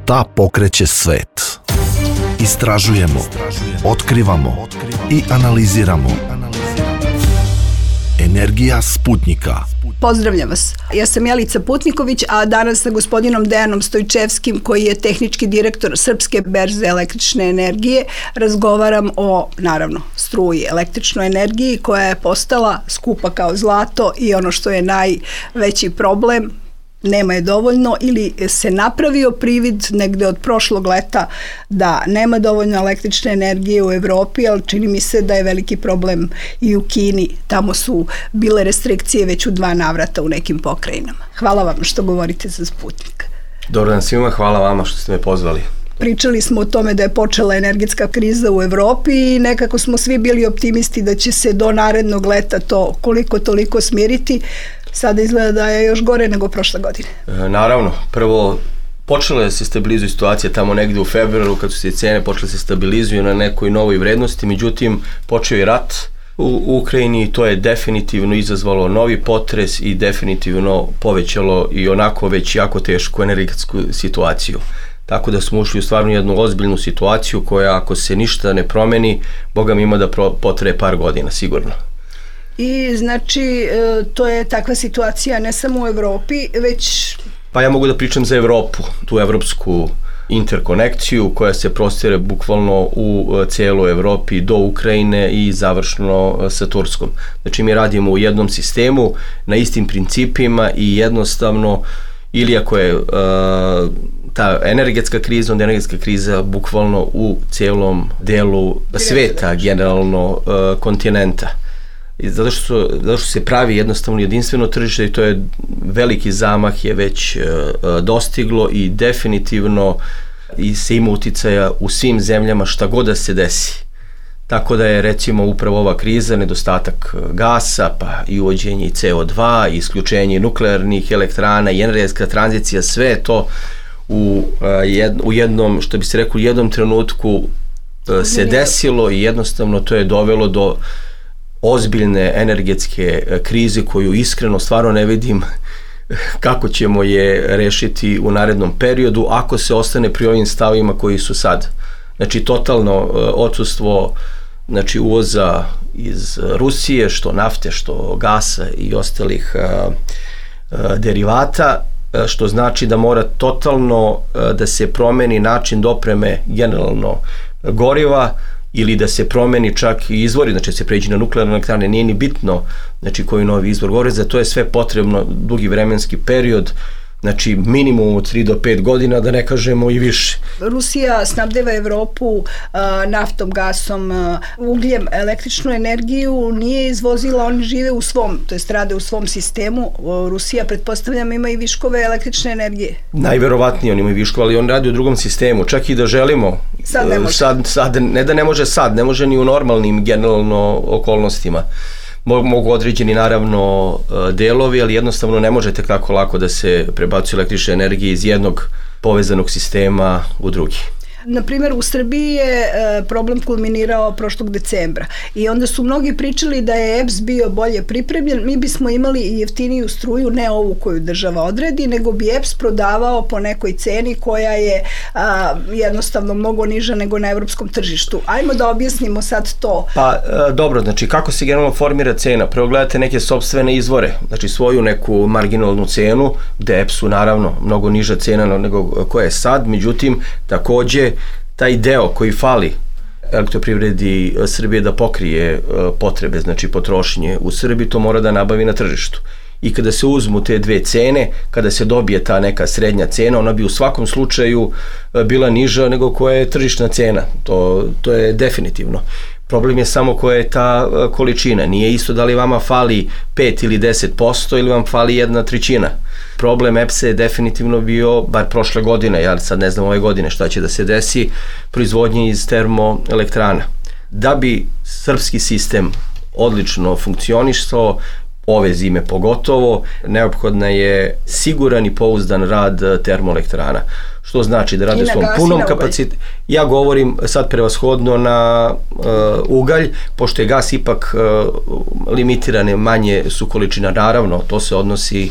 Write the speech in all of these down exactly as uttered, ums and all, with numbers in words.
Šta pokreće svet? Istražujemo, otkrivamo i analiziramo. Energija Sputnika. Pozdravljam vas. Ja sam Jelica Putniković, a danas sa gospodinom Dejanom Stojčevskim, koji je tehnički direktor Srpske berze električne energije, razgovaram o, naravno, struji, električnoj energiji koja je postala skupa kao zlato i ono što je najveći problem, nema je dovoljno ili se napravio privid negde od prošlog leta da nema dovoljno električne energije u Evropi, ali čini mi se da je veliki problem i u Kini. Tamo su bile restrikcije već u dva navrata u nekim pokrajinama. Hvala vam što govorite za Sputnik. Dobar dan svima, hvala vama što ste me pozvali. Pričali smo o tome da je počela energetska kriza u Evropi i nekako smo svi bili optimisti da će se do narednog leta to koliko toliko smiriti. Sada izgleda da je još gore nego prošle godine. E, naravno, prvo počela je se stabilizuje situacija tamo negde u februaru kad su se cene počele se stabilizuju na nekoj novoj vrednosti, međutim počeo je rat u Ukrajini i to je definitivno izazvalo novi potres i definitivno povećalo i onako već jako tešku energetsku situaciju. Tako da smo ušli u stvarno jednu ozbiljnu situaciju koja ako se ništa ne promeni, Boga mi ima da potraje par godina, sigurno. I znači to je takva situacija ne samo u Evropi, već... Pa ja mogu da pričam za Evropu, tu evropsku interkonekciju koja se prostire bukvalno u cijeloj Evropi do Ukrajine i završno sa Turskom. Znači mi radimo u jednom sistemu na istim principima i jednostavno ili ako je uh, ta energetska kriza, onda energetska kriza bukvalno u cijelom delu sveta, generalno uh, kontinenta. I zato što, zato što se pravi jednostavno jedinstveno tržište i to je veliki zamah je već uh, dostiglo i definitivno i se ima uticaja u svim zemljama šta god da se desi. Tako da je recimo upravo ova kriza, nedostatak gasa, pa i uvođenje ce o dva, i isključenje nuklearnih elektrana i energetska tranzicija, sve je to u, jed, u jednom, što bi se rekao, u jednom trenutku se desilo i jednostavno to je dovelo do ozbiljne energetske krize koju iskreno stvarno ne vidim kako ćemo je rešiti u narednom periodu ako se ostane pri ovim stavima koji su sad. Znači totalno odsustvo znači uvoza iz Rusije, što nafte, što gasa i ostalih a, a, derivata, a, što znači da mora totalno a, da se promeni način dopreme generalno goriva ili da se promeni čak i izvori, znači da se pređe na nuklearne elektrane, nije ni bitno znači koji novi izvor goriva, za to je sve potrebno dugi vremenski period, znači minimum od tri do pet godina, da ne kažemo i više. Rusija snabdeva Evropu uh, naftom, gasom, uh, ugljem, električnu energiju nije izvozila, oni žive u svom, to jest rade u svom sistemu. Uh, Rusija, pretpostavljam, ima i viškove električne energije. Najverovatnije oni imaju viškove, ali on radi u drugom sistemu, čak i da želimo. Sad ne može. Sad, sad, ne da ne može sad, ne može ni u normalnim generalno okolnostima. Mogu određeni naravno delovi, ali jednostavno ne možete tako lako da se prebacuje električna energija iz jednog povezanog sistema u drugi. Na primjer, u Srbiji je problem kulminirao prošlog decembra i onda su mnogi pričali da je E P S bio bolje pripremljen, mi bismo imali i jeftiniju struju, ne ovu koju država odredi, nego bi E P S prodavao po nekoj ceni koja je a, jednostavno mnogo niža nego na evropskom tržištu. Ajmo da objasnimo sad to. Pa dobro, znači kako se generalno formira cena? Prvo gledate neke sopstvene izvore, znači svoju neku marginalnu cenu, gde E P S-u naravno mnogo niža cena nego koja je sad, međutim takođe taj deo koji fali Elektroprivredi Srbije da pokrije potrebe, znači potrošnje u Srbiji, to mora da nabavi na tržištu. I kada se uzmu te dve cene, kada se dobije ta neka srednja cena, ona bi u svakom slučaju bila niža nego koja je tržišna cena. To, to je definitivno. Problem je samo koja je ta količina. Nije isto da li vama fali pet ili deset posto ili vam fali jedna trećina. Problem E P S-a je definitivno bio, bar prošle godine, ja sad ne znam ove godine šta će da se desi, proizvodnje iz termoelektrana. Da bi srpski sistem odlično funkcionisao, ove zime pogotovo, neophodna je siguran i pouzdan rad termoelektrana. Što znači da rade u svom punom kapacitetu. Ja govorim sad prevashodno na uh, ugalj, pošto je gas ipak uh, limitiran, manje su količina, naravno, to se odnosi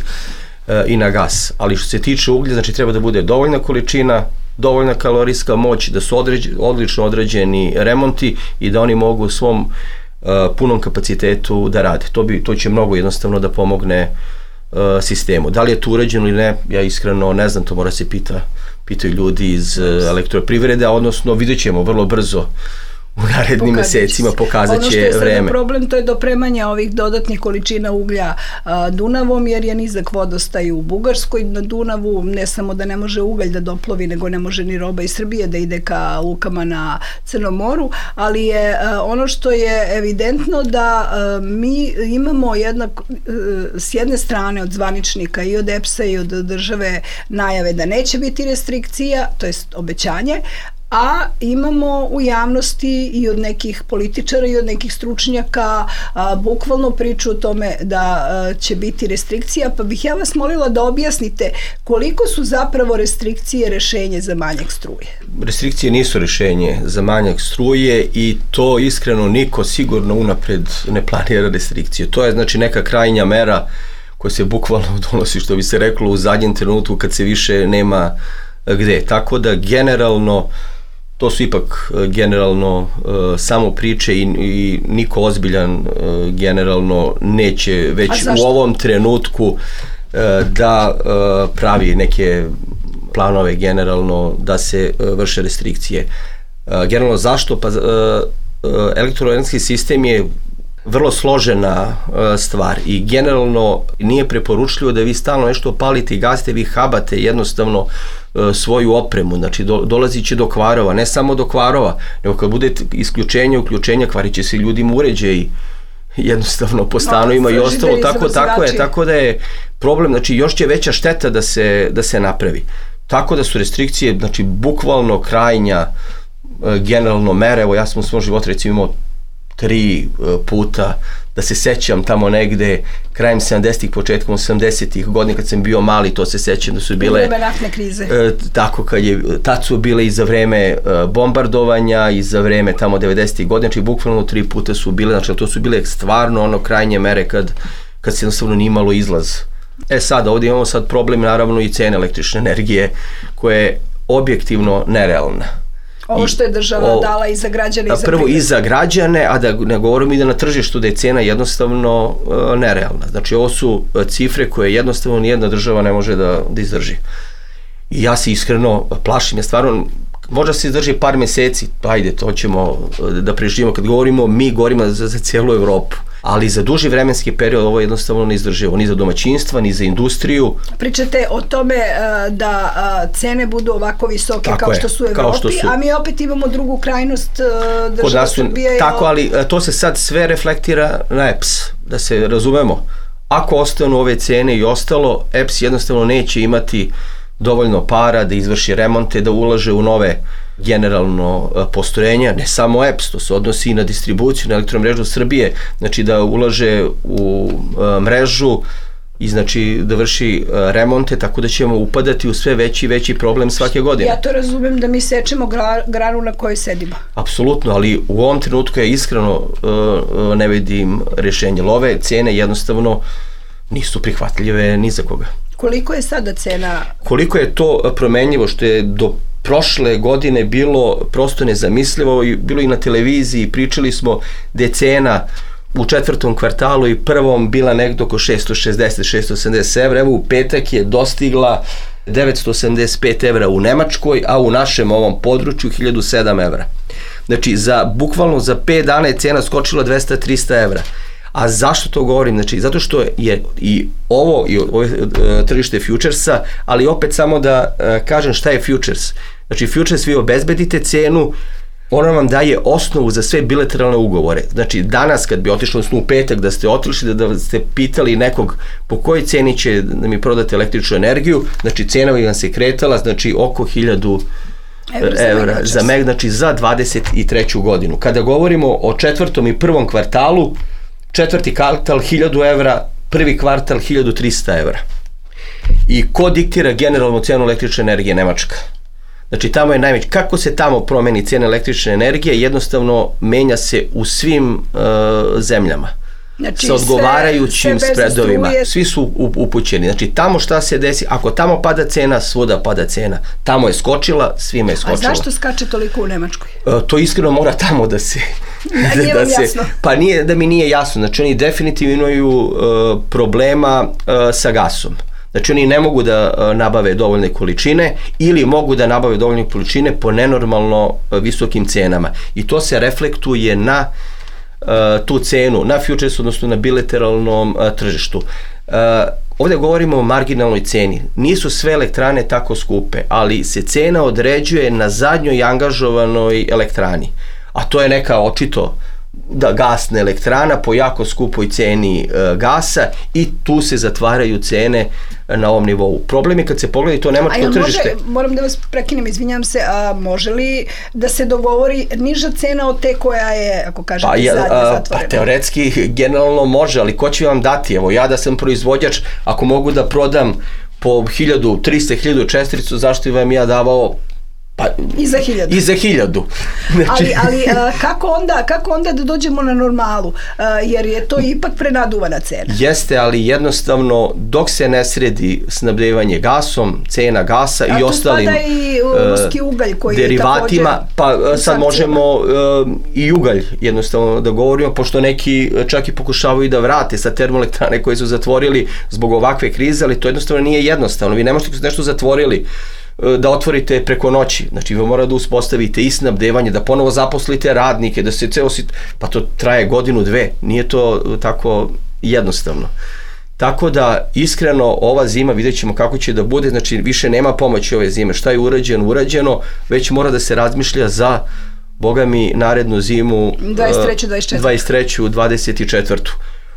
e, i na gas. Ali što se tiče uglja, znači treba da bude dovoljna količina, dovoljna kalorijska moć, da su određ, odlično određeni remonti i da oni mogu u svom uh, punom kapacitetu da rade. To, bi, to će mnogo jednostavno da pomogne uh, sistemu. Da li je to urađeno ili ne, ja iskreno ne znam, to mora se pita, pitaju ljudi iz uh, elektroprivrede, odnosno vidjet ćemo vrlo brzo u narednim mesecima, pokazat će vreme. Ono što je sada problem, to je dopremanje ovih dodatnih količina uglja a, Dunavom, jer je nizak vodostaj u Bugarskoj na Dunavu, ne samo da ne može ugalj da doplovi, nego ne može ni roba iz Srbije da ide ka lukama na Crnom moru, ali je a, ono što je evidentno da a, mi imamo jednak, a, s jedne strane od zvaničnika i od E P S-a i od države najave da neće biti restrikcija, to je obećanje, a imamo u javnosti i od nekih političara i od nekih stručnjaka a, bukvalno priču o tome da a, će biti restrikcija, pa bih ja vas molila da objasnite koliko su zapravo restrikcije rešenje za manjak struje. Restrikcije nisu rešenje za manjak struje i to iskreno niko sigurno unapred ne planira restrikcije. To je znači neka krajnja mera koja se bukvalno donosi, što bi se reklo, u zadnjem trenutku kad se više nema gde. Tako da generalno to su ipak generalno uh, samo priče i, i niko ozbiljan uh, generalno neće već u ovom trenutku uh, da uh, pravi neke planove generalno da se uh, vrše restrikcije. Uh, generalno zašto? Pa uh, uh, elektroenergetski sistem je vrlo složena uh, stvar i generalno nije preporučljivo da vi stalno nešto palite i gasite, vi habate jednostavno uh, svoju opremu, znači do, dolazit će do kvarova, ne samo do kvarova, nego kad bude isključenje, uključenja, kvarit će se ljudima uređaji jednostavno po stanovima no, i ostalo, tako, tako je, tako da je problem, znači još će veća šteta da se, da se napravi. Tako da su restrikcije, znači bukvalno krajnja uh, generalno mere, evo ja sam u svom životu recimo imao tri puta, da se sećam tamo negde krajem sedamdesetih, početkom osamdesetih godina kad sam bio mali, to se sećam da su bile vreme naftne krize. E, tako kad je, tad su bile i za vreme e, bombardovanja i za vreme tamo devedesetih godina, znači bukvalno tri puta su bile, znači to su bile stvarno ono krajnje mere kad, kad se jednostavno nije imalo izlaz. E sad, ovdje imamo sad problem naravno i cene električne energije koja je objektivno nerealna. Ovo što je država o, dala i za građane i za prvo privrednike. I za građane, a da ne govorim i da na tržištu da je cena jednostavno uh, nerealna. Znači ovo su uh, cifre koje jednostavno nijedna država ne može da, da izdrži. I ja se iskreno plašim, ja stvarno možda se izdrži par meseci, ajde, to ćemo uh, da preživimo. Kad govorimo, mi govorimo za, za cijelu Evropu. Ali za duži vremenski period ovo je jednostavno neizdrživo, ni za domaćinstva, ni za industriju. Pričate o tome uh, da uh, cene budu ovako visoke tako kao, je, što su u Evropi, što su, a mi opet imamo drugu krajnost uh, država Srbije. Tako, ali uh, to se sad sve reflektira na E P S, da se razumemo. Ako ostanu ove cene i ostalo, E P S jednostavno neće imati dovoljno para da izvrši remonte, da ulaže u nove generalno postrojenja, ne samo E P S, to se odnosi i na distribuciju, na elektromrežu Srbije, znači da ulaže u mrežu i znači da vrši remonte, tako da ćemo upadati u sve veći i veći problem svake godine. Ja to razumem da mi sečemo gra, granu na kojoj sedimo. Apsolutno, ali u ovom trenutku ja iskreno uh, ne vidim rješenje. Ove cene jednostavno nisu prihvatljive ni za koga. Koliko je sada cena? Koliko je to promenljivo, što je do prošle godine bilo prosto nezamislivo i bilo i na televiziji, pričali smo da je cena u četvrtom kvartalu i prvom bila negdje oko šesto šezdeset do šesto sedamdeset evra, evo u petak je dostigla devetsto osamdeset pet evra u Nemačkoj, a u našem ovom području hiljadu sedam evra. Znači, za, bukvalno za pet dana je cena skočila dvesta do trista evra. A zašto to govorim? Znači, zato što je i ovo, i ovo tržište futuresa, ali opet samo da kažem šta je futures. Znači, futures vi obezbedite cenu, ona vam daje osnovu za sve bilateralne ugovore. Znači, danas kad bi otišli, odnosno u petak da ste otišli, da, da ste pitali nekog po kojoj ceni će da mi prodate električnu energiju, znači cena bi vam se kretala, znači oko hiljadu evra za meg, znači za dvadeset treću godinu. Kada govorimo o četvrtom i prvom kvartalu, četvrti kvartal hiljadu evra, prvi kvartal hiljadu trista evra. I ko diktira generalnu cenu električne energije? Nemačka. Znači tamo je najveći. Kako se tamo promeni cena električne energije? Jednostavno menja se u svim uh, zemljama. Znači, sa odgovarajućim sve, sve spredovima. struje. Svi su upućeni. Znači, tamo šta se desi, ako tamo pada cena, svuda pada cena. Tamo je skočila, svima je skočila. A zašto skače toliko u Nemačkoj? E, to iskreno mora tamo da se... Da, nije vam se, jasno. Pa nije da mi nije jasno. Znači, oni definitivno imaju uh, problema uh, sa gasom. Znači, oni ne mogu da uh, nabave dovoljne količine ili mogu da nabave dovoljne količine po nenormalno uh, visokim cenama. I to se reflektuje na uh, tu cenu, na futures, odnosno na bilateralnom uh, tržištu. Uh, ovdje govorimo o marginalnoj ceni. Nisu sve elektrane tako skupe, ali se cena određuje na zadnjoj angažovanoj elektrani. A to je neka očito da gasna elektrana po jako skupoj ceni e, gasa i tu se zatvaraju cene na ovom nivou. Problem je kad se pogleda to nemačko tržište. Može, moram da vas prekinem, izvinjam se, a može li da se dogovori niža cena od te koja je, ako kažete, pa, zadnje zatvorena? Pa teoretski, generalno može, ali ko će vam dati? Evo, ja da sam proizvođač, ako mogu da prodam po hiljadu, trista, hiljadu čestericu, zašto vam ja davao pa, i za hiljadu. I za hiljadu. Znači... Ali, ali a, kako, onda, kako onda da dođemo na normalu? A, jer je to ipak prenaduvana cena. Jeste, ali jednostavno dok se ne sredi snabdevanje gasom, cena gasa a i ostalim i ruski ugalj koji derivatima, pa sad možemo uh, i ugalj jednostavno da govorimo, pošto neki čak i pokušavaju da vrate sa termoelektrane koje su zatvorili zbog ovakve krize, ali to jednostavno nije jednostavno. Vi ne možete nešto zatvorili da otvorite preko noći. Znači, vi morate da uspostavite i snabdevanje, da ponovo zaposlite radnike, da se ceo sit... pa to traje godinu, dve. Nije to tako jednostavno. Tako da, iskreno, ova zima, vidjet ćemo kako će da bude, znači, više nema pomoći ove zime. Šta je urađeno, urađeno, već mora da se razmišlja za, boga mi, narednu zimu dvadeset treću, dvadeset četvrtu. dvadeset treću, dvadeset četvrtu.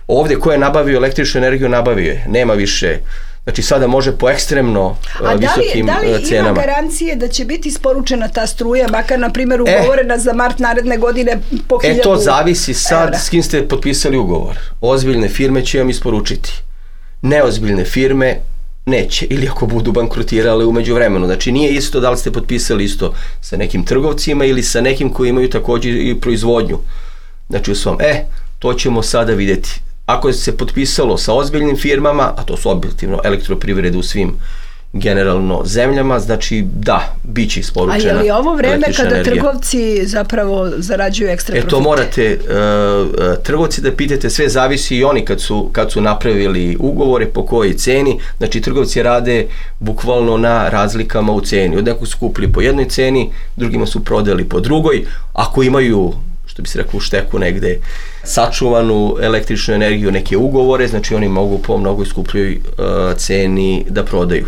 Ovdje ko je nabavio električnu energiju, nabavio je. Nema više. Znači, sada može po ekstremno uh, visokim cenama. A da li, da li ima garancije da će biti isporučena ta struja, makar, na primjer, ugovorena e, za mart naredne godine po hiljadu? E, to zavisi sad evra. S kim ste potpisali ugovor. Ozbiljne firme će vam isporučiti. Neozbiljne firme neće, ili ako budu bankrotirale umeđu vremenu. Znači, nije isto da li ste potpisali isto sa nekim trgovcima ili sa nekim koji imaju također i proizvodnju. Znači, u svom, e, to ćemo sada vidjeti. Ako se potpisalo sa ozbiljnim firmama, a to su objektivno elektroprivrede u svim generalno zemljama, znači da, bit će isporučena električna energija. A je li ovo vreme kada energija. Trgovci zapravo zarađuju ekstra profite? E to morate uh, trgovci da pitate, sve zavisi i oni kad su, kad su napravili ugovore, po kojoj ceni, znači trgovci rade bukvalno na razlikama u ceni. Od nekog su kupili po jednoj ceni, drugima su prodali po drugoj, ako imaju, što bi se rekao, u šteku negde sačuvanu električnu energiju, neke ugovore, znači oni mogu po mnogo skupljoj uh, ceni da prodaju.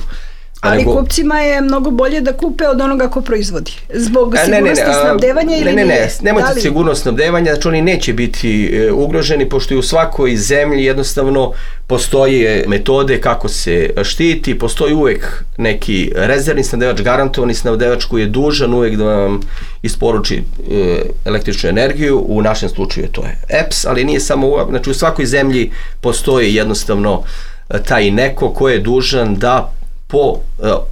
A ali nego, kupcima je mnogo bolje da kupe od onoga ko proizvodi. Zbog a, sigurnosti ne, ne, ne, snabdevanja ili ne, ne, ne, nije? nemojte li... sigurnost snabdevanja, znači oni neće biti e, ugroženi, pošto i u svakoj zemlji jednostavno postoje metode kako se štiti, postoji uvek neki rezervni snabdevač, garantovani snabdevač koji je dužan uvek da vam isporuči e, električnu energiju, u našem slučaju to je E P S, ali nije samo, znači u svakoj zemlji postoji jednostavno taj neko ko je dužan da po uh,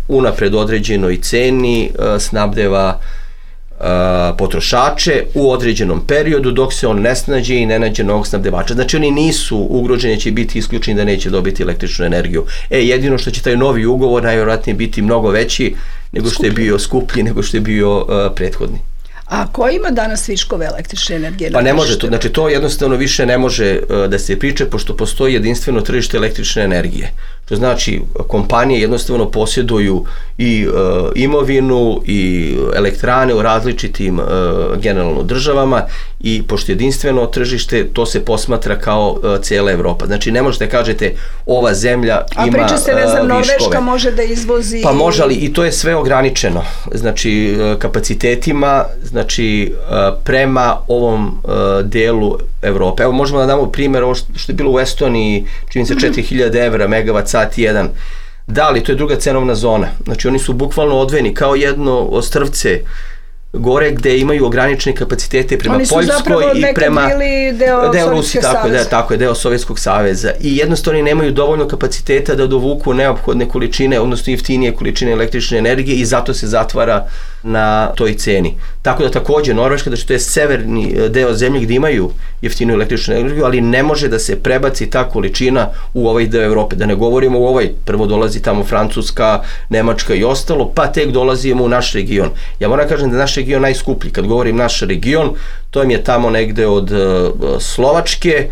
unapred određenoj ceni uh, snabdeva uh, potrošače u određenom periodu dok se on ne snađe i ne nađe novog snabdevača. Znači oni nisu ugroženi, će biti isključeni da neće dobiti električnu energiju. E, jedino što će taj novi ugovor najvjerojatnije biti mnogo veći nego što je bio skuplji, nego što je bio uh, prethodni. A ko ima danas viškove električne energije? Pa ne može to, znači to jednostavno više ne može uh, da se priče, pošto postoji jedinstveno tržište električne energije. To znači kompanije jednostavno posjeduju i uh, imovinu i elektrane u različitim uh, generalno državama i pošto jedinstveno tržište, to se posmatra kao uh, cijela Evropa. Znači ne možete kažete ova zemlja a ima priča se, ne znam, uh, Norveška može da izvozi... Pa može, ali i to je sve ograničeno. Znači uh, kapacitetima, znači uh, prema ovom uh, delu Evrope. Evo možemo da damo primjer ovo što je bilo u Estoniji, čini se četiri hiljade evra megavat sat jedan. Da, ali to je druga cenovna zona. Znači oni su bukvalno odvojeni kao jedno ostrvce gore gde imaju ograničene kapacitete prema Poljskoj i prema deo, deo Rusije, tako, da, tako je, deo Sovjetskog saveza. I jednostavno nemaju dovoljno kapaciteta da dovuku neophodne količine, odnosno jeftinije količine električne energije i zato se zatvara na toj ceni. Tako da također Norveška, znači to je severni deo zemlje gdje imaju jeftinu električnu energiju, ali ne može da se prebaci ta količina u ovaj deo Evrope. Da ne govorimo u ovaj, prvo dolazi tamo Francuska, Nemačka i ostalo, pa tek dolazimo u naš region. Ja moram kažem da je naš region najskuplji. Kad govorim naš region, to im je tamo negde od Slovačke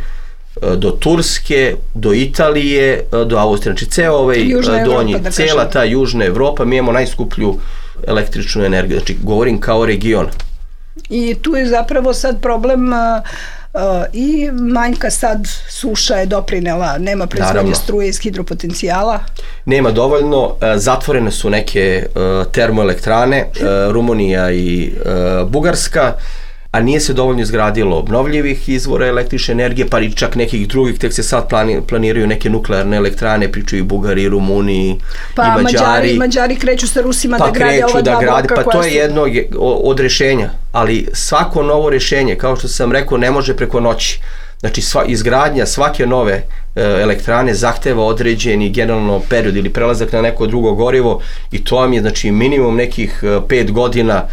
do Turske, do Italije, do Austrije. Znači, ceo ovaj donji, cela ta južna Evropa, mi imamo najskuplju električnu energiju. Znači, govorim kao region. I tu je zapravo sad problem uh, uh, i manjka sad suša je doprinela, nema proizvodnje struje iz hidropotencijala. Nema dovoljno, uh, zatvorene su neke uh, termoelektrane, uh, Rumunija i uh, Bugarska, a nije se dovoljno izgradilo obnovljivih izvora električne energije, pa i čak nekih drugih, tek se sad plani, planiraju neke nuklearne elektrane, pričaju i Bugari, i Rumuni, pa, i Mađari. Mađari. Mađari kreću sa Rusima pa da grade ova dva bloka. Pa to je jedno od rešenja, ali svako novo rešenje, kao što sam rekao, ne može preko noći. Znači, sva, izgradnja svake nove e, elektrane zahteva određeni generalno period ili prelazak na neko drugo gorivo i to vam je, znači, minimum nekih e, pet godina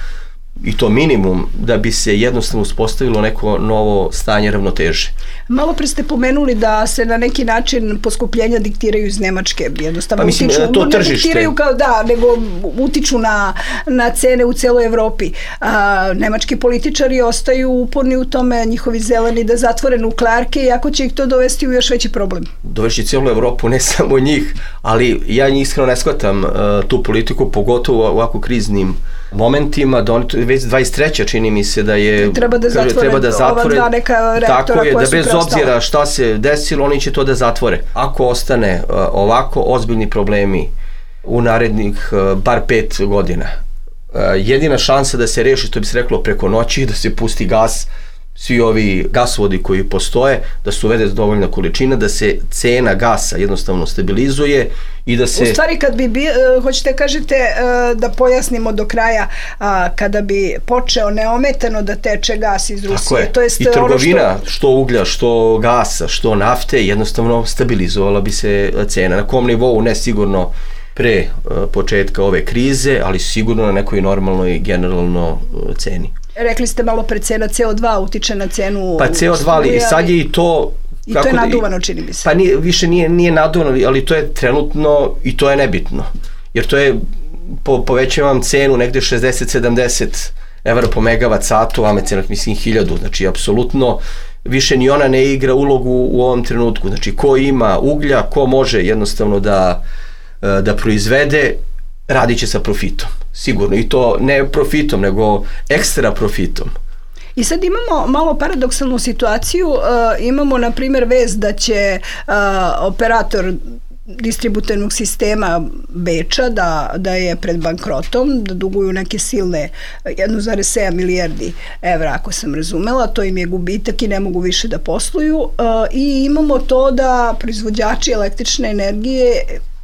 i to minimum da bi se jednostavno uspostavilo neko novo stanje ravnoteže. Malo pre ste pomenuli da se na neki način poskupljenja diktiraju iz Nemačke, jednostavno pa mislim, utiču, to ne tržište. Diktiraju kao da, nego utiču na, na cene u celoj Evropi. A, nemački političari ostaju uporni u tome, njihovi zeleni da zatvore nuklearke, iako će ih to dovesti u još veći problem. Dovešći cijelu Evropu, ne samo njih, ali ja njih iskreno ne shvatam uh, tu politiku, pogotovo u ovako kriznim momentima, da oni već dvadeset treća čini mi se da je treba da zatvore, treba da zatvore ova dva neka reaktora tako je, koja da su bez preostala. Obzira šta se desilo, oni će to da zatvore. Ako ostane uh, ovako ozbiljni problemi u narednih uh, bar pet godina, uh, jedina šansa da se reši, što bi se reklo, preko noći, da se pusti gas, svi ovi gasovodi koji postoje, da se uvede dovoljna količina, da se cena gasa jednostavno stabilizuje i da se... U stvari, kad bi, bi hoćete kažete da pojasnimo do kraja, kada bi počeo neometano da teče gas iz Rusije, je. To jest i trgovina, ono što... što uglja, što gasa, što nafte, jednostavno stabilizovala bi se cena. Na kom nivou, ne sigurno pre početka ove krize, ali sigurno na nekoj normalnoj generalno ceni. Rekli ste malo pre cena C O dva utiče na cenu pa C O dva, ali sad je i to i to je naduvano, čini mi se. Pa nije, više nije, nije naduvano, ali to je trenutno i to je nebitno, jer to je po, povećavam cenu negde šezdeset sedamdeset evra po megavat satu, a me cena mislim hiljadu, znači apsolutno više ni ona ne igra ulogu u ovom trenutku, znači ko ima uglja, ko može jednostavno da, da proizvede, radit će sa profitom, sigurno, i to ne profitom, nego ekstra profitom. I sad imamo malo paradoksalnu situaciju, uh, imamo na primjer vez da će uh, operator distributivnog sistema Beča da, da je pred bankrotom, da duguju neke silne jedan zarez sedam milijardi evra, ako sam razumela, to im je gubitak i ne mogu više da posluju, uh, i imamo to da proizvođači električne energije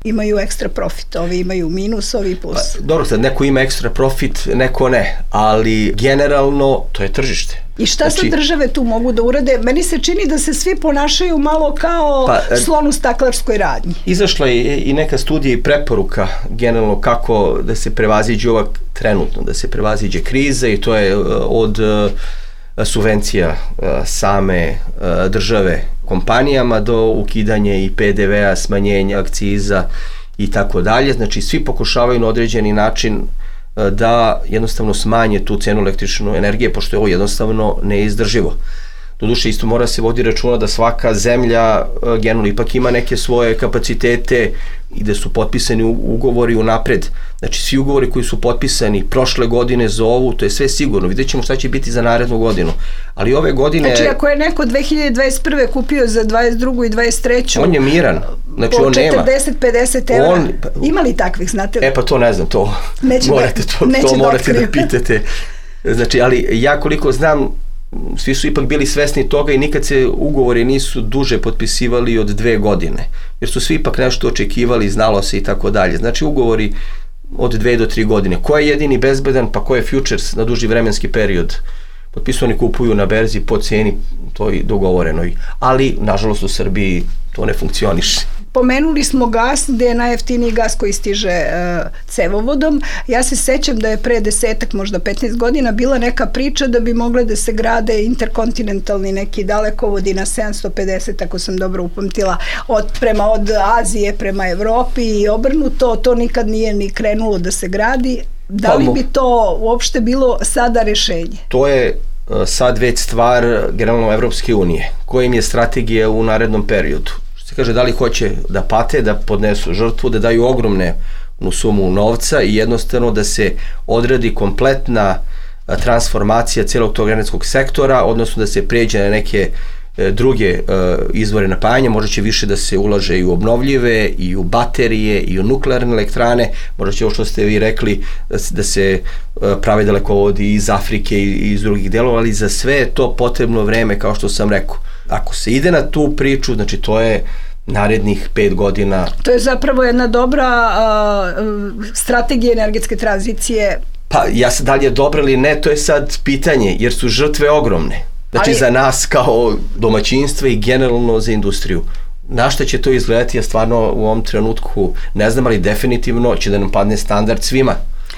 imaju ekstra profit, ovi imaju minus, ovi plus. Pa, dobro, sad neko ima ekstra profit, neko ne, ali generalno to je tržište. I šta znači, sad države tu mogu da urade? Meni se čini da se svi ponašaju malo kao pa, slon u staklarskoj radnji. Izašla je i neka studija i preporuka generalno kako da se prevaziđe ova trenutno, da se prevaziđe kriza, i to je od subvencija same države kompanijama do ukidanje i P D V-a, smanjenja akciza i tako dalje. Znači, svi pokušavaju na određeni način da jednostavno smanje tu cenu električne energije, pošto je ovo jednostavno neizdrživo. Doduše, isto mora se vodi računa da svaka zemlja generalno ipak ima neke svoje kapacitete i da su potpisani ugovori unapred. Znači, svi ugovori koji su potpisani prošle godine za ovu, to je sve sigurno. Vidjet ćemo šta će biti za narednu godinu. Ali ove godine... Znači, ako je neko dve hiljade dvadeset prve kupio za dvadeset drugu i dvadeset treću on je miran. Znači, po on nema. četrdeset pedeset evra. On, ima li takvih, znate li? E pa to ne znam, to neće morate, to, to morate da pitate. Znači, ali ja koliko znam, svi su ipak bili svesni toga i nikad se ugovori nisu duže potpisivali od dve godine, jer su svi ipak nešto očekivali, znalo se i tako dalje. Znači, ugovori od dve do tri godine. Ko je jedini bezbedan, pa ko je futures na duži vremenski period potpisuju, oni kupuju na berzi po ceni toj dogovorenoj. Ali, nažalost, u Srbiji to ne funkcioniše. Pomenuli smo gas, gde je najjeftiniji gas koji stiže uh, cevovodom. Ja se sećam da je pre desetak, možda petnaest godina bila neka priča da bi mogle da se grade interkontinentalni neki dalekovodi na sedamsto pedeset, ako sam dobro upamtila, od, prema od Azije prema Evropi i obrnuto. To nikad nije ni krenulo da se gradi. Da li bi to uopšte bilo sada rešenje? To je sad već stvar generalno Evropske unije, kojim je strategija u narednom periodu. Se kaže da li hoće da pate, da podnesu žrtvu, da daju ogromne sumu novca i jednostavno da se odradi kompletna transformacija celog tog energetskog sektora, odnosno da se pređe na neke druge izvore napajanja, možda će više da se ulaže i u obnovljive, i u baterije, i u nuklearne elektrane, možda će ovo što ste vi rekli da se prave dalekovodi iz Afrike i iz drugih delova, ali za sve je to potrebno vreme, kao što sam rekao. Ako se ide na tu priču, znači to je narednih pet godina. To je zapravo jedna dobra uh, strategija energetske tranzicije. Pa, ja sad, da li je dobra ili ne, to je sad pitanje, jer su žrtve ogromne. Znači, ali za nas kao domaćinstva i generalno za industriju. Na šta će to izgledati, ja stvarno u ovom trenutku ne znam, ali definitivno će da nam padne standard svima.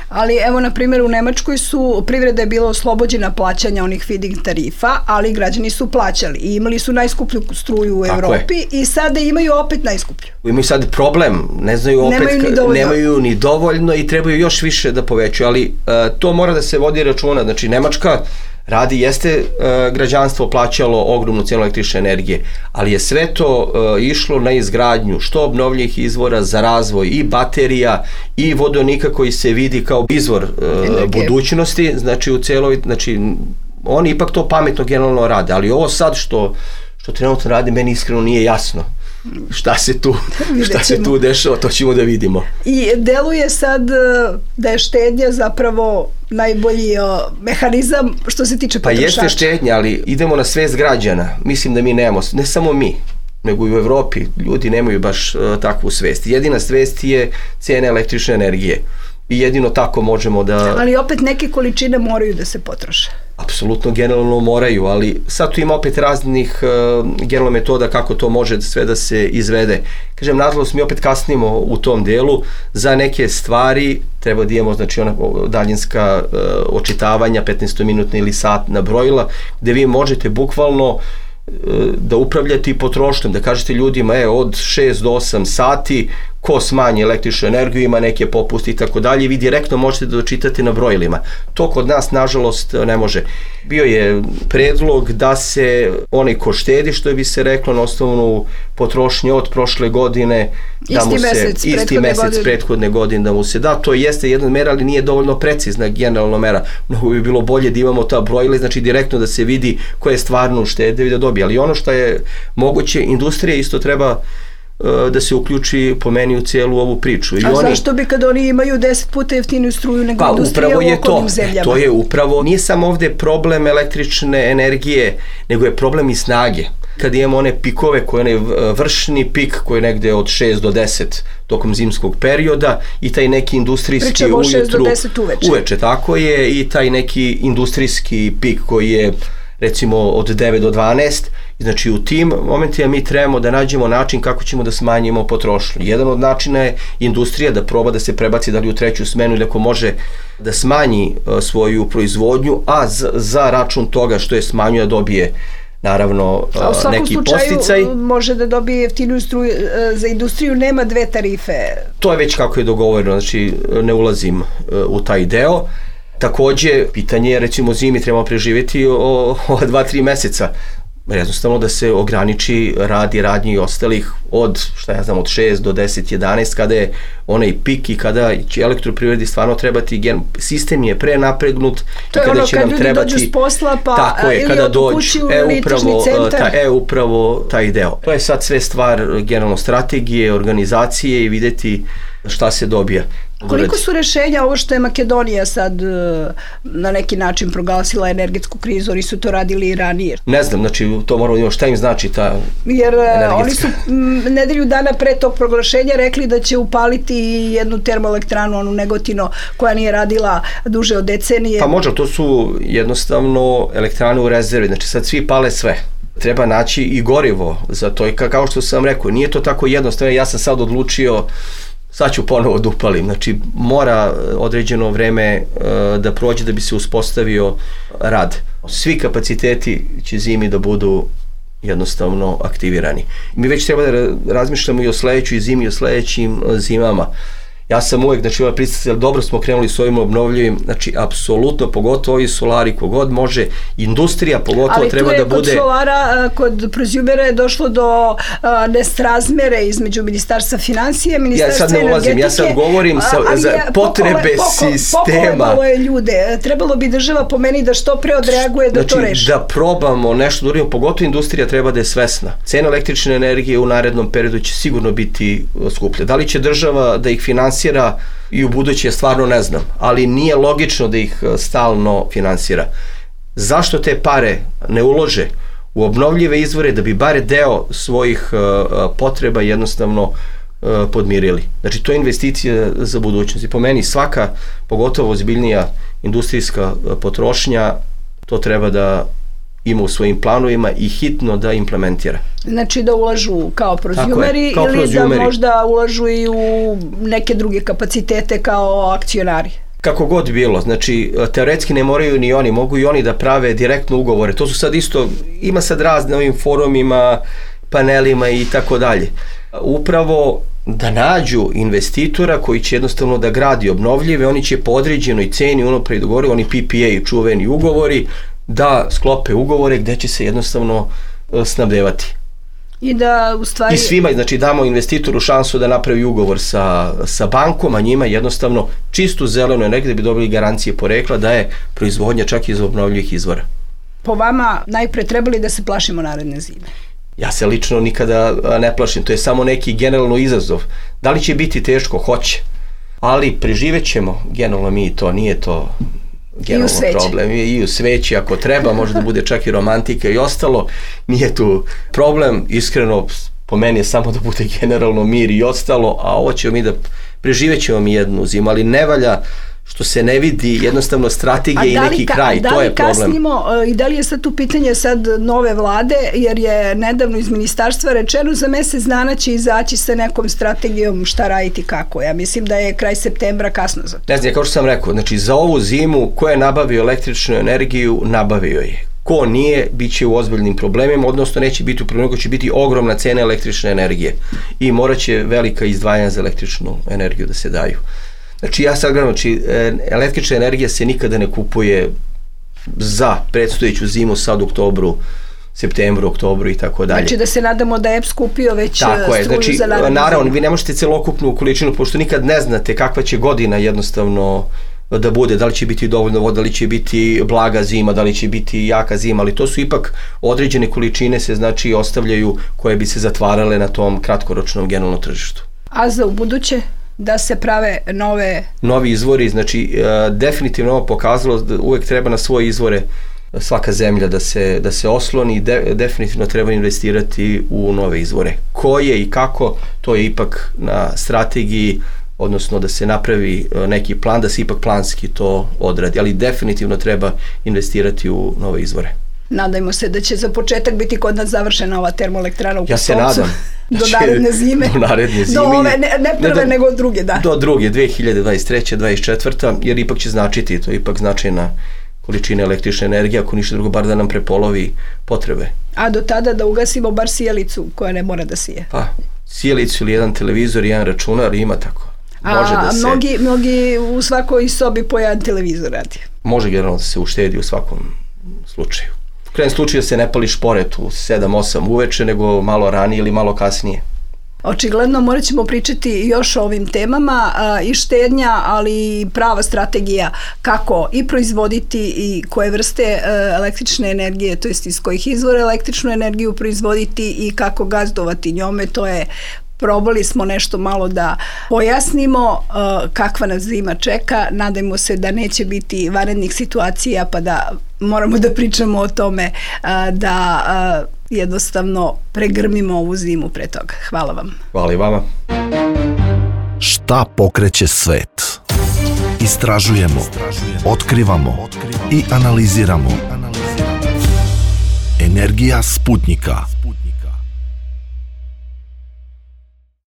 Ali evo, na primjer, u Nemačkoj su privreda je bila oslobođena plaćanja onih feed-in tarifa, ali građani su plaćali i imali su najskuplju struju u Tako Evropi je. I sada imaju opet najskuplju. Imaju sad problem, ne znaju opet, nemaju ni dovoljno, nemaju ni dovoljno i trebaju još više da povećaju, ali uh, to mora da se vodi računa. Znači, Nemačka radi, jeste uh, građanstvo plaćalo ogromnu cenu električne energije, ali je sve to uh, išlo na izgradnju što obnovljivih izvora za razvoj i baterija i vodonika koji se vidi kao izvor uh, budućnosti, znači u celoj, znači oni ipak to pametno generalno rade, ali ovo sad što, što trenutno radi meni iskreno nije jasno. Šta se tu, šta se tu dešava, to ćemo da vidimo. I deluje sad da je štednja zapravo najbolji mehanizam što se tiče potrošača. Pa jeste štednja, ali idemo na svest građana. Mislim da mi nemamo, ne samo mi, nego i u Evropi ljudi nemaju baš uh, takvu svest. Jedina svest je cena električne energije. I jedino tako možemo da... Ali opet neke količine moraju da se potroše. Apsolutno, generalno moraju, ali sad tu ima opet raznih uh, generalno metoda kako to može sve da se izvede. Kažem, nažalost, mi opet kasnimo u tom delu. Za neke stvari treba da imamo, znači, ona daljinska uh, očitavanja, petnaestominutna ili satna brojila, gde vi možete bukvalno uh, da upravljate i potrošnjom, da kažete ljudima, e, od šest do osam sati, ko smanji električnu energiju, ima neke popusti i tako dalje, vi direktno možete da dočitate na brojilima. To kod nas, nažalost, ne može. Bio je predlog da se onaj ko štedi, što bi se reklo, na osnovnu potrošnju od prošle godine, da isti mu se, mesec, isti mesec godine. prethodne godine da mu se da, to jeste jedna mera, ali nije dovoljno precizna generalna mera. Mnogo bi bilo bolje da imamo ta brojila, znači direktno da se vidi ko je stvarno uštedeo i da dobije. Ali ono što je moguće, industrija isto treba da se uključi po meni u cijelu ovu priču. I A oni, zašto bi kad oni imaju deset puta jeftiniju struju nego pa, industrija u okolnim zemljama? To je upravo, nije samo ovde problem električne energije, nego je problem i snage. Kad imamo one pikove, koji je onaj vršni pik koji je negde od šest do deset tokom zimskog perioda i taj neki industrijski Pričamo ujutru, šest do deset uveče. uveče, tako je, i taj neki industrijski pik koji je recimo od devet do dvanaest, znači u tim momentima mi trebamo da nađemo način kako ćemo da smanjimo potrošnju. Jedan od načina je industrija da proba da se prebaci da li u treću smenu ili ako može da smanji uh, svoju proizvodnju, a za, za račun toga što je smanjuje dobije naravno uh, neki posticaj. A u svakom slučaju može da dobije jeftiniju struju, za industriju nema dve tarife. To je već kako je dogovoreno, znači ne ulazim uh, u taj deo. Takođe, pitanje je, recimo zimi trebamo preživjeti o, o dva, tri meseca. Jednostavno da se ograniči rad i radnje i ostalih od, šta ja znam, od šest do deset, jedanaest, kada je onaj pik i kada će elektroprivredi stvarno trebati, sistem je prenapregnut to i kada ono, će kad nam trebati... To je ono kad ljudi dođu s posla pa tako je, ili kada od dođu, kući u e, električni upravo, centar. Ta, e, upravo taj deo. To je sad sve stvar generalno strategije, organizacije i videti šta se dobija. Koliko su rešenja ovo što je Makedonija sad na neki način proglasila energetsku krizu, oni su to radili i ranije? Ne znam, znači to moramo imati šta im znači ta Jer energetska. Oni su nedelju dana pre tog proglašenja rekli da će upaliti jednu termoelektranu, onu Negotino, koja nije radila duže od decenije. Pa može, to su jednostavno elektrane u rezervi, znači sad svi pale sve. Treba naći i gorivo za to i kao što sam rekao, nije to tako jednostavno, ja sam sad odlučio sad ću ponovo da upalim, znači mora određeno vreme da prođe da bi se uspostavio rad. Svi kapaciteti će zimi da budu jednostavno aktivirani. Mi već treba da razmišljamo i o sledećoj zimi i o sledećim zimama. Ja sam uvek, znači ova pristacija, dobro smo krenuli s ovim obnovljivim, znači apsolutno, pogotovo ovi solari, kogod može, industrija pogotovo ali treba da bude... Ali tu je kod solara, kod prosumera je došlo do nesrazmere između Ministarstva financije, Ministarstva energetike. Ja sad ne ulazim, ja sad govorim sa, za potrebe poko, sistema. Pokovalo je ljude, trebalo bi država po meni da što pre odreaguje da znači, to reši. Da probamo nešto da uradimo, pogotovo industrija treba da je svesna. Cena električne energije u narednom periodu će sigurno biti skuplja. Da li će država da ih finansira i u buduće stvarno ne znam, ali nije logično da ih stalno finansira. Zašto te pare ne ulože u obnovljive izvore da bi bare deo svojih potreba jednostavno podmirili? Znači to je investicija za budućnost i po meni svaka, pogotovo ozbiljnija industrijska potrošnja, to treba da ima u svojim planovima i hitno da implementira. Znači da ulažu kao prozumeri ili prozumeri. Da možda ulažu i u neke druge kapacitete kao akcionari? Kako god bilo, znači teoretski ne moraju ni oni, mogu i oni da prave direktno ugovore. To su sad isto, ima sad razne ovim forumima, panelima i tako dalje. Upravo da nađu investitora koji će jednostavno da gradi obnovljive, oni će po određenoj ceni unapred dogovori, oni P P A čuveni ugovori, da sklope ugovore gde će se jednostavno snabdevati. I da u stvari... I svima, znači damo investitoru šansu da napravi ugovor sa, sa bankom, a njima jednostavno čistu zelenu energiju da bi dobili garancije porekla da je proizvodnja čak iz obnovljivih izvora. Po vama najpre trebali da se plašimo naredne zime? Ja se lično nikada ne plašim, to je samo neki generalno izazov. Da li će biti teško? Hoće. Ali preživet ćemo, generalno mi to, nije to... generalno problem. I u sveći ako treba, može da bude čak i romantika i ostalo, nije tu problem, iskreno po meni je samo da bude generalno mir i ostalo, a ovo ćemo mi da preživet ćemo mi jednu zimu, ali ne valja što se ne vidi jednostavno strategije i neki ka, kraj, to je problem. Da li kasnimo i da li je sad tu pitanje sad nove vlade, jer je nedavno iz ministarstva rečeno za mesec dana će izaći sa nekom strategijom šta raditi kako. Ja mislim da je kraj septembra kasno za to. Ne znam, kao što sam rekao, znači za ovu zimu ko je nabavio električnu energiju, nabavio je. Ko nije, bit će u ozbiljnim problemima, odnosno neće biti u problemu, će biti ogromna cena električne energije i morat će velika izdvajanja za električnu energiju da se daju. Znači ja sad gledam, znači električna energija se nikada ne kupuje za predstojeću zimu sad u oktobru, septembru, oktobru i tako dalje. Znači da se nadamo da je E P S kupio već tako struju je. Znači, za narednu naravno, zimu. Vi ne možete celokupnu količinu, pošto nikad ne znate kakva će godina jednostavno da bude, da li će biti dovoljno voda, da li će biti blaga zima, da li će biti jaka zima, ali to su ipak određene količine se znači ostavljaju koje bi se zatvarale na tom kratkoročnom generalnom tržištu. A za u buduće? Da se prave nove... Novi izvori, znači e, definitivno ovo pokazalo da uvek treba na svoje izvore svaka zemlja da se, da se osloni i de, definitivno treba investirati u nove izvore. Koje i kako, to je ipak na strategiji, odnosno da se napravi neki plan, da se ipak planski to odradi, ali definitivno treba investirati u nove izvore. Nadajmo se da će za početak biti kod nas završena ova termoelektrana u Ja se nadam. Do naredne zime. Do naredne zime. Do ove, ne, ne prve, ne do, nego druge, da. Do druge, dve hiljade dvadeset treće dvadeset četvrta jer ipak će značiti, to je ipak značajna količina električne energije, ako ništa drugo, bar da nam prepolovi potrebe. A do tada da ugasimo bar sijalicu koja ne mora da sije. Pa, sijalicu ili jedan televizor i jedan računar ima tako. Može A da se, mnogi, mnogi u svakoj sobi po jedan televizor radi. Može generalno da se uštedi u svakom slučaju. U krajem slučaju se ne pali šporet u sedam osam uveče, nego malo ranije ili malo kasnije. Očigledno morat ćemo pričati još o ovim temama a, i štednja, ali i prava strategija kako i proizvoditi i koje vrste a, električne energije, to jest iz kojih izvora električnu energiju proizvoditi i kako gazdovati njome, to je probali smo nešto malo da pojasnimo kakva nas zima čeka. Nadajmo se da neće biti vanrednih situacija pa da moramo da pričamo o tome da jednostavno pregrmimo ovu zimu pre toga. Hvala vam. Hvala i vama. Šta pokreće svet? Istražujemo, otkrivamo i analiziramo. Energija Sputnika.